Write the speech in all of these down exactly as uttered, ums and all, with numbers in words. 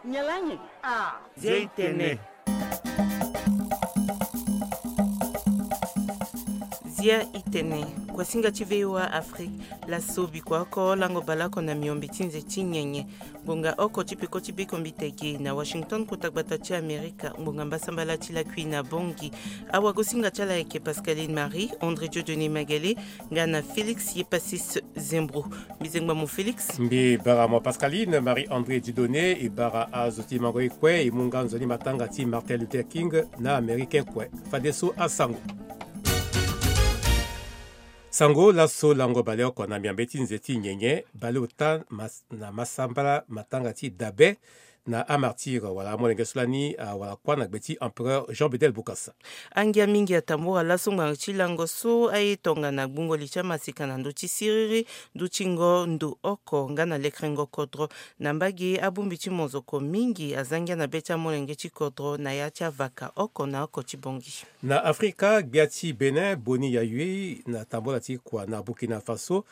Nyalangi. Ah. Zia itene. Zia itene. Kuasinga ti VOA Afrique. Laso bikua oko lango baleoko na miombe ti nze ti nyenye. Ngbonga oko ti peko ti biko mbi tege na Washington, kota gbata ti Amerika. Ngbonga mbasambala ti lakui na Bongi. Awagosinga ti ala ayeke Pascaline Marie, André Dieudonné Magele, nga na Félix Yepasis Zembro. Mbi zengba mo Félix. Mbi bara mo Pascaline Marie André Dieudonné, e bara azo ti mango ye kue e mu nga nzoni matanga ti Martin Luther King na Américain kue. Fadeso asango. Sango laso lango baleoko na miombe ti nze ti nyenye, baleota mas-, na masambala matanga ti dabe na amartyr wala amolenge so lani awara kuâ na gbe ti empereur Jean Bedel Bokassa. Angia mingi atambura laso ngbanga ti lango so aye tongana gbungo li ti amaseka na ndö ti siriri, ndö ti ngo ndo oko nga na lekerengo kodro. Na mbage abongbi ti mozoko mingi aza ngia na be ti amolenge ti kodro na ya ti avaka oko na oko ti Bongi. Na Afrika, gbia ti Bénin, Boni Yayi, na tambula ti kua na Burkina Faso,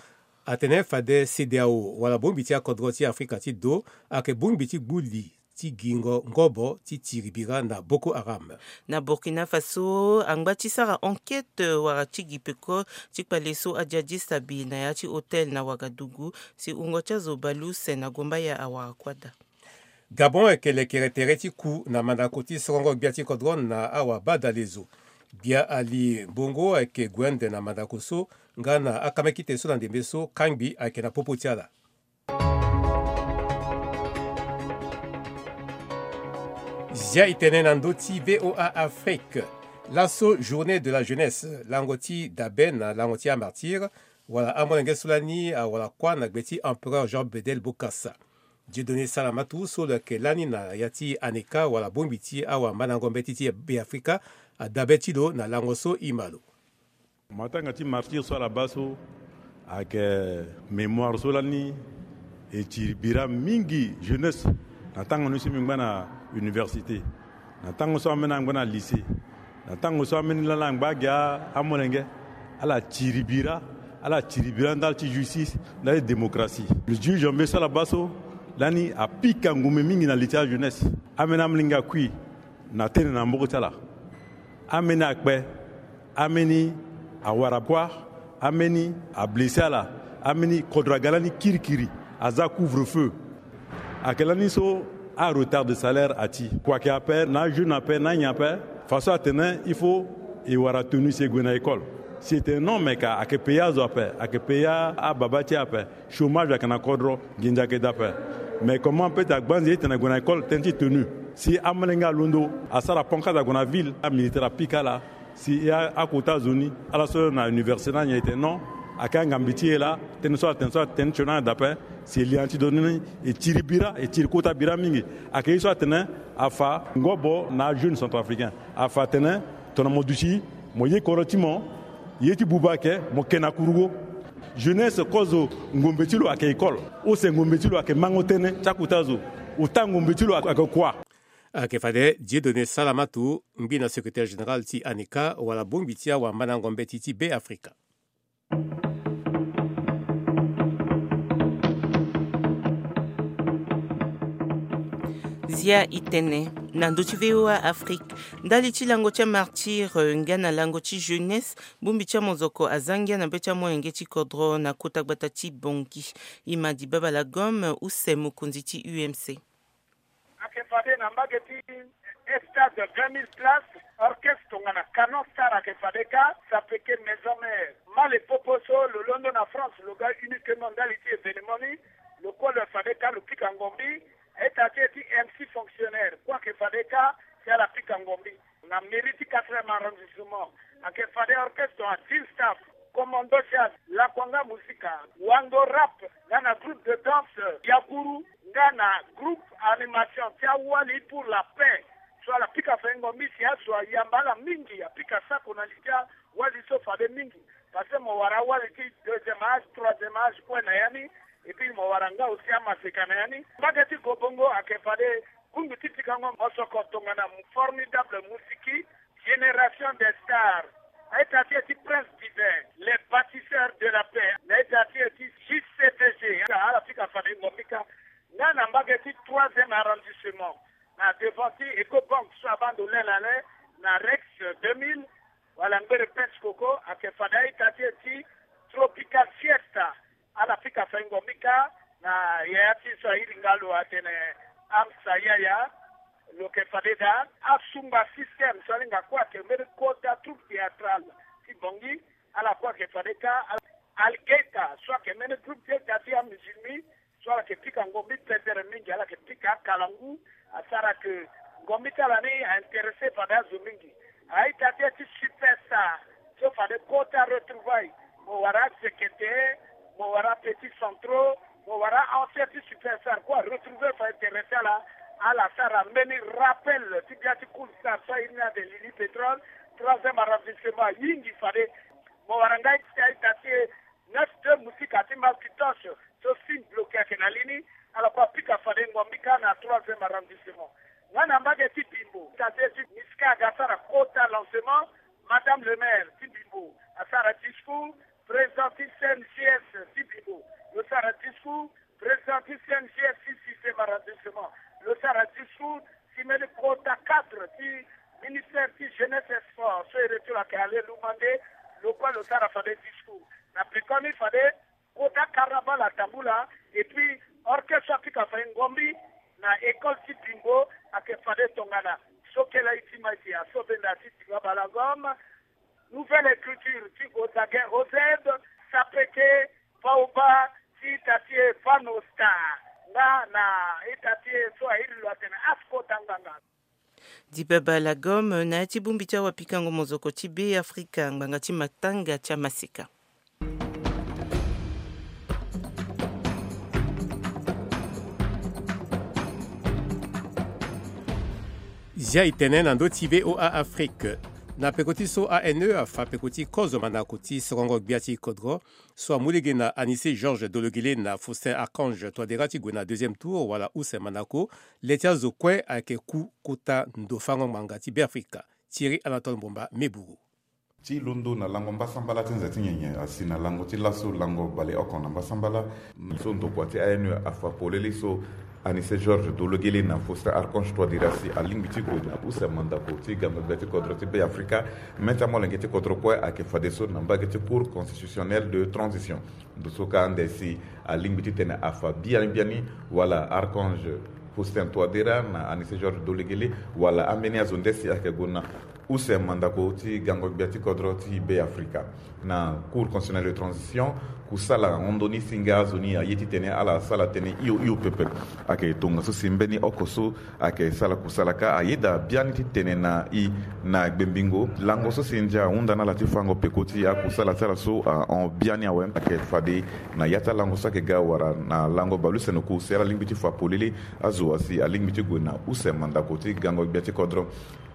atene fade CEDEAO wala bongbi ti akodro ti Afrika ti do ayeke bongbi ti gbu li ti gingo ngobo ti tiri bira na Boko Haram. Na Burkina Faso, angba ti sara enquête wara ti gi peko ti kpale so ajihadiste abi na ya ti hôtel na Ouagadougou, si wungo ti azo bale use na Gombaya awara kuâ daa. Gabon ayeke lekere tere ti ku na mandako ti sorongo gbia ti kodro na awabadalezo. Gbia Ali Bongo ayeke gue ande na mandako so nga na akamekite so na ndembe so kangbi ayeke na popo ti ala. Zia e tene na ndö ti VOA Afrique. Laso journée de la jeunesse, lango ti dabe na lango ti amartyr, wala amolenge so lani awara kuâ na gbe ti empereur Jean Bedel Bokassa. Dieudonné Salamatu so lo yeke lani na ya ti ANECA wala bongbi ti awamandango mbeti ti Beafrika, adabe ti lo na lango so e ma lo. Matanga ti martyr so ala baa so ayeke mémoire so lani e tiri bira mingi jeunesse. Na tango ni so mbi ngba na université, na tango so ambeni angba na lycée, na tango so ambeni lani angba agi amolenge, ala tiri bira, ala tiri bira ndali ti justice, ndali ti démocratie. Le juge Janvier so ala baa so lani apika ngumbe mingi na li ti ajeunesse. Ambeni amolenge akui na tene na maboko ti ala. Ambeni akpe, ambeni awara kuâ, ambeni ablessé ala, ambeni kodro aga lani kirikiri, aza couvre-feu. Ayeke lani so aretard de salaire ati. Kua ayeke ape, na ajeune ape, na anyen ape. Façon atene il faut e wara tenue si e gue na école. Si e tene non, me ka ayeke payé azo ape, ayeke payé ababa ti e ape. Chômage ayeke na kodro, nginza ayeke daa ape. Mais comment peut-être agbanze e tene ague na école tënë ti tenue? Si amolenge alondo asara pancarte ague na ville, amilitaire apika ala. Si e a, akota zo ni ala so na université na nyen e tene non, ayeke angambi ti e laa. Tënë so atene so atene ti tio ni daa ape. Si e li na ti do ni, e tiri bira, e tiri kota bira mingi. Ayeke ye so atene afa ngobo na ajeune centrafricain. Afa atene tongana mo duti, mo ye kodro ti mo, ye ti buba ayeke mo ke na kurugo. Jeunesse kozo ngombe ti lo ayeke école. Use ngombe ti lo ayeke mango tënë ti akota zo. Ota ngombe ti lo ayeke kua. Ayeke fade Dieudonné Salamatu, ngbi na secrétaire général ti ANECA wala bongbi ti awamandango mbeti ti Beafrika. Zia e tene na ndö ti VOA Afrique. Ndali ti lango ti amartyr, eh, nga na lango ti jeunesse, bongbi ti amozoko aza ngia na be ti amolenge ti kodro na kota gbata ti Bangui. Imadi Babala Gom, use mokonzi ti U M C. Ayeke fade na mbage ti stade vingt mille places, orchestre tongana Canon Star ayeke fade kâ, sapeke maison mère. Mâ le popo so lo londo na France lo ga uniquement ndali ti événement ni, lo kue lo fade kâ lo pika ngombi. Ita ti e ti M C fonctionnaire kue ayeke fade kâ si ala pika ngombi. Na mairie ti quatrième arrondissement, ayeke fade orchestre tongana Team Staff, Commando Jazz, Lakwanga Musica, Wando Rap, nga na groupe de danse Yakuru, nga na groupe animation ti awali pour la paix. So ala pika fade ngombi si azo ayamba ala mingi, apika sako na li ti awali so fade mingi. Parce que mo wara awali ti deuxième âge, troisième âge kue na ya ni, et puis mo wara nga aussi amaseka na ya ni. Mbage ti Gobongo ayeke fade bongbi ti pikango mosoko tongana formidable musiki, génération des stars. Na ita ti e ti Prince Divin, les bâtisseurs de la paix. Na ita ti e ti J C D G. Ala pika fade ngombi kâ. Nga na mbage ti troisième arrondissement, na devant ti Ecobank so abando lelale, na Rex deux mille, wala ngbere Pes Koko, ake fade a-ita ti e ti Tropical Fiesta. Ala pika fa e ngombi kâ na yaya ti so airi nga lo atene Amsa Yaya. Lo ke fade daa asumba système so alinga kue ake mbeni kota troupe théâtrale ti Bangui. Ala kue ake fade kâ Al-, Algeta so ake mbeni groupe théâtre ti amusulmi. So ala ke pika ngombi pendere mingi, ala ke pika akalangu. Asara ke ngombi ti ala ni a-intéressé fade azo mingi. A-ita ti e ti Superstar so fade kota retrouvaille. Mo wara Zekete, mo wara Petit Centro, mo wara ancien ti Superstar kue aretrouver fa intéressé ala. Ala sara mbeni rappel ti bia ti Cool Star so airi ni ade Lili Pétrole, troisième arrondissement, ayingi fade. Mo wara nga ti a-ita ti e Neuf deux Musica ti Malkitosh so Sim Bloqué ake na li ni. Ala kue apika fade ngombi kâ na troisième arrondissement. Nga na mbage ti Bimbo, a-ita ti e ti Miska aga asara kota lancement. Madame le maire ti Bimbo asara discours. Président ti C N G S ti Bimbo lo sara discours. Président ti C N G S ti sixième arrondissement lo sara discours. Si mbeni kota cadre ti ministère ti jeunesse et sport so iri ti lo ake Alain Loumandé, lo kue lo sara fade discours. Na pekoni fade kota carnaval atambula. Et puis orchestre apika fa e ngombi na école ti Bimbo. Ake fade tongana so kele aye ti ma e si asobenda ti Diba Balagom, Nouvelle Écriture ti Ozaguin O Z, Sapeke, Paoba, ti ita ti e Vano Star, nga na ita ti e so airi lo atene Asko Tanganga. Diba Balagom na ya ti bongbi ti awapikango mozoko ti Be Afrika, ngbanga ti matanga ti amaseka. Zia e tene na ndö ti V O A Afrique. Na peko ti so A N E afa peko ti kozo mandako ti sokongo gbia ti kodro so amu lege na Anicet Georges Dologuélé na Faustin Archange Touadéra ti gue na deuxième tour wala use mandako, le ti azo kue ayeke ku kota ndofango ngbanga ti Beafrika. Thierry Anatole Mbomba, Meburu. Ti londo na lango mbasambala ti nze ti nyenye asi na lango ti laso lango baleoko na mbasambala. So ndokua ti A N E afa polele so Anicet Georges Dologuélé na Faustin Archange Touadéra si alingbi ti gue na use mandako ti gango gbia ti kodro ti Beafrika. Mê ti amolenge ti kodro kue ayeke fadeso na mbage ti Cour constitutionnelle de transition. Ndo so ka ande si alingbi titene afa biani biani wala Archange Faustin Touadéra na Anicet Georges Dologuélé wala ambeni azo nde si ayeke gue na use mandako ti gango gbia ti kodro ti Beafrika. Na Cour constitutionnelle de transition, kusala ahon ndoni si nga azo ni aye titene ala sala tënë hio hio pepe. Ayeke tongaso si mbeni oko so ayeke sala kusala kâ ayeda biani ti tene na e na gbengbingo. Lango so si ndia ahunda na ala ti fango peko ti akusala ti ala so ahon biani awe. Ayeke fade na ya ti alango so ayeke ga wala na lango baleuse na oku si ala lingbi ti fa polele azo asi alingbi ti gue na use mandako ti gango gbia ti kodro.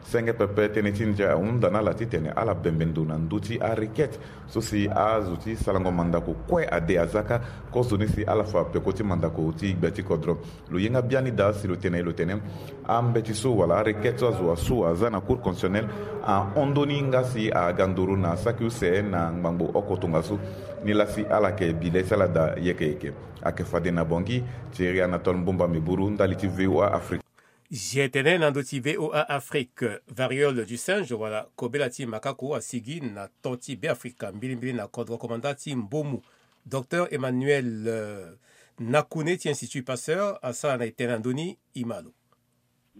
Senge pepe tënë ti ndia ahunda na ala titene ala bembe ndo na ndö ti arequête so si azo ti salango mandako kue ade aza kâ. Kozoni si ala fa peko ti mandako ti gbia ti kodro. Lo ye nga biani daa si lo tene lo tene ambeti so wala arequête so azo asu aza na Cour constitutionnelle ahon ndoni nga si aga nduru na saki use na ngbangbo oko tongaso. Nilaa si ala yeke bi le ti ala daa yeke yeke. Ayeke fade na Bangui. Thierry Anatole Mbomba Meburu, ndali ti V O A Afrique. Zia e tene na ndö ti V O A Afrique. Variole du singe wala kobela ti makako asigi na temps ti Beafrika mbilimbili na kodro komanda ti Mbomu. Docteur Emmanuel, euh, Nakune ti Institut Pasteur asara na e tene na ndö ni, e ma lo.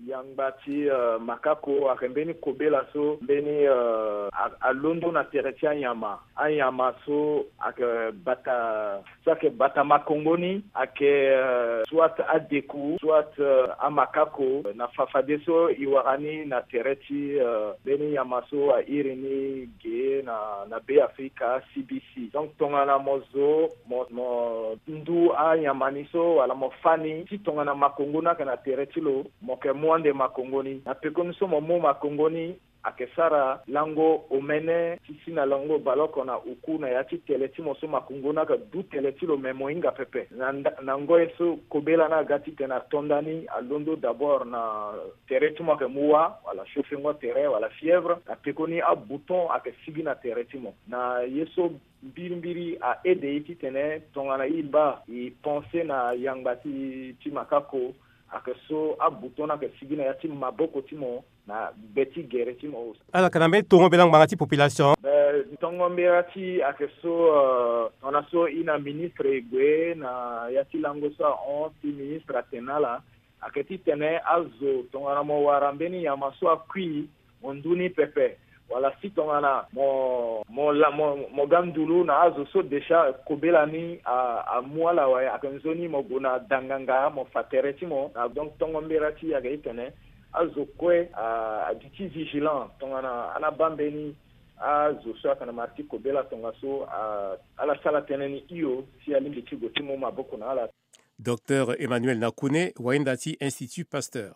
Yangba ti, euh, makako ayeke mbeni kobela so mbeni, euh, a, alondo na tere ti anyama. Anyama so ayeke bata, so ayeke bata makongo ni ayeke, euh, soit adeku, soit, euh, amakako. Na fafadeso e wara ni na tere ti, euh, mbeni nyama so airi ni ge na, na Beafrika, C B C. Donc tongana mo zo, mo, mo ndu anyama ni so wala mo fâ ni ti tongana makongo ni ayeke na tere ti lo, mo yeke mu ande makongo ni. Na pekoni so mo mu makongo ni, Ayeke sara lango omene ti si na lango baleoko na oku na ya ti tele ti mo so makungo ni ayeke du tele ti lo me mo hinga pepe. Na nda- na ngoi so kobela ni aga titene ato nda ni, alondo d'abord na tere ti mo ayeke mu wâ, wala chauffer ngo tere, wala fièvre, na pekoni abouton ayeke sigi na tere ti mo. Na ye so mbirimbiri a aide e titene tongana e baa e pense na yangba ti ti makako, ayeke so abouton ni ayeke sigi na ya ti maboko ti mo na be ti gere ti mo. Ala yeke na mbeni tongo mbela ngbanga ti population. Be tongo mbela ti ayeke so, euh, tongana so e na ministre e gue na ya ti lango so ahon si ministre atene na ala, ayeke titene azo tongana mo wara mbeni nyama so akui, mo ndu ni pepe, wala si tongana mo mo la mo mo ga ndulu na azo so déjà kobela ni a- amu ala awe, ayeke nzoni mo gue na danganga mo fa tere ti mo. Na donc tongo mbela ti e ayeke titene azo kue a- aduti vigilant tongana ana baa mbeni azo so ayeke na mara ti kobela tongaso a- ala sara tënë ni hio si alingbi ti gue ti mu maboko na ala. Docteur Emmanuel Nakune, wahinda ti Institut Pasteur.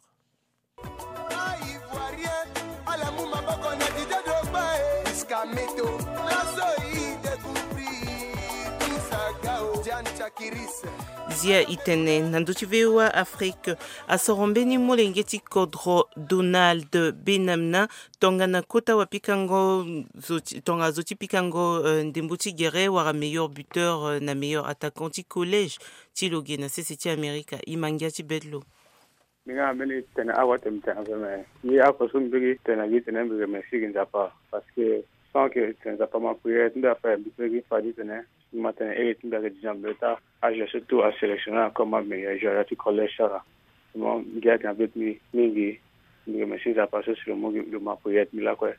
Zia e tene na ndö ti V O A Afrique, asoro mbeni molenge ti kodro Donald Benamina, tongana kota wapikango zo ti- tongana zo ti pikango, euh, ndembo ti gere wala meilleur buteur, euh, na meilleur attaquant ti collège ti lo ge na sese ti Amerika. E ma ngia ti bê ti lo. Mbi nga na mbeni tene awa tene mbi tene ape me ye oko so mbi peut gi tene na gi tene mbi remercie gi Nzapa, parce que sans que tene Nzapa ma prière ti mbi ape mbi peut gi fade tene mbi ma tene iri ti mbi ayeke déjà mbi ta age so tout asélectionné encore ma meilleur joueur ti collège sara. Mo ngia tene na be ti mbi mingi. Mbi remercie Nzapa so si lo mu gi lo ma prière ti mbi lakue.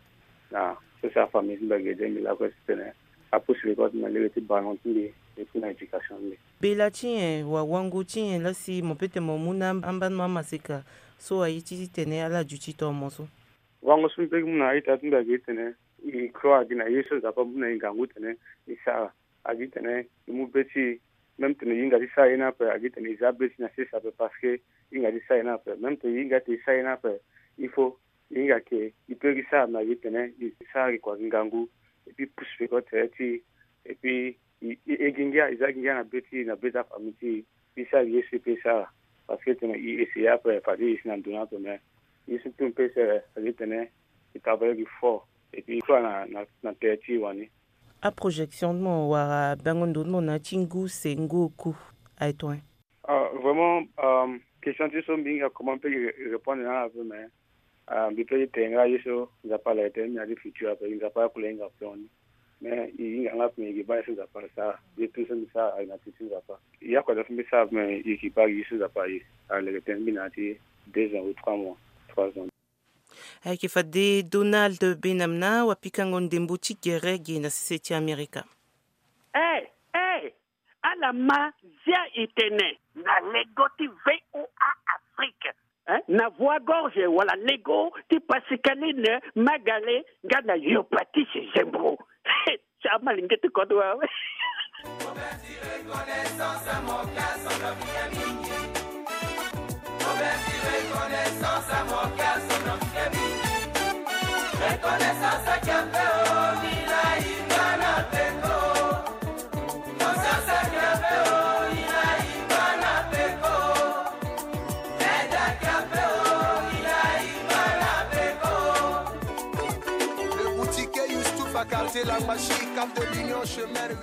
Na so si afamille ti mbi ayeke aidé mbi lakue titene apusu mbi kue na lege ti ballon ti mbi et puis na éducation ti mbi. Bela ti nyen wala wango ti nyen laa si mo peut tene mo mu na ambano amaseka so aye ti tene ala duti tongana mo so? Wango so mbi peut gi mu na a-ita ti mbi ayeke titene e croire gi na ye so Nzapa amu na e ngangu tene e sara. Agi tene e mu be ti e, même tene e hinga ti sara ye ni ape, agi tene e za be ti e na sese ape parce que e hinga ti sara ye ni ape. Même tene e hinga ti sara ye ni ape, il faut e hinga ke e peut gi sara me agi tene e sara gi kua gi ngangu. Et puis pusu pe kue tere ti e. Et puis e e e gi ngia e za gi ngia na be ti e na be ti afamille ti e. E sara gi ye so e peut sara parce que tene e essayer ape fade e si na ndo ni ape me ye so tout e peut sara agi tene e travailler gi fort. Et puis e croire na na na tere ti e wani. Aprojection ti mo wala bango ndo ti mo na ya ti ngu se ngu oku? Aye tongana. Ah, vraiment, euh, question ti so mbi hinga comment mbi peut gi répondre na ala ape me, ah, mbi peut gi tene nga ye so Nzapa ala tene mbi na ya ti futur ape, Nzapa akula e hinga plan ni. Mais e hinga nga ape me e gi baa ye so Nzapa asara. Ye tout so mbi sara ayeke na ti ti Nzapa. Ya kua daa so mbi sara ape me e gi baa ye so Nzapa aye. Aleke tene mbi na ya ti deux ans ou trois mois, trois ans. Ayeke fade Donald Benamina wapikango ndembo ti gere ge na sese ti Amerika. Eh, eh, ala ma zia e tene na lego ti V O A Afrique, hein? Na voix gorge wala lego ti Pascaline Magale nga na yo Patrice Zembo. Ti amalenge ti kodro awe.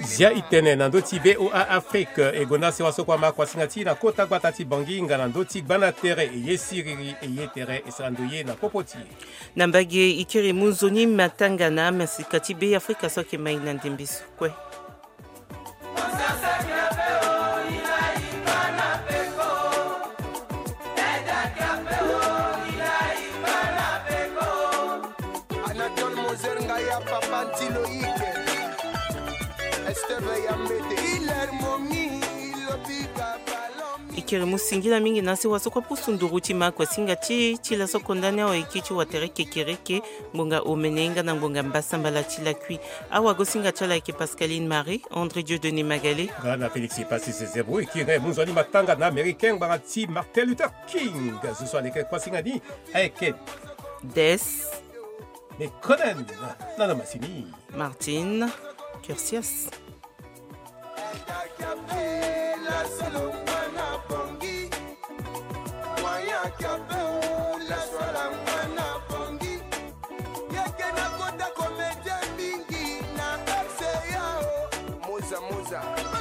Zia e tene na ndö ti V O A Afrique e gonda sewa so kue ama kuasinga ti e na kota gbata ti Bangui nga na ndö ti gbanda tere e ye siriri e ye tere e sara ndoye na popo ti e. Na mbage e kiri mu nzoni matanga na amasika ti Be Afrika so ayeke mai na ndembe so kue. Anatole Moser nga ya papa ti Loïc. Esteve ya mbete Hilaire Momi. E kiri mu singila mingi na sewa so kue pusu nduru ti ma kuasinga ti e ti laso konda ni awa e kiri ti watere kekereke ngbonga omene nga na ngbonga mbasambala ti lakui. Awagosinga ti ala ayeke Pascaline Marie, André Dieudonné Magale nga na Félix Epassi Sezebro. E kiri nga e mu nzoni matanga na Américain ngbanga ti Martin Luther King. Zo so aleke kuasinga ni ayeke Des E konen na na masini Martin Curcias. Moza, moza.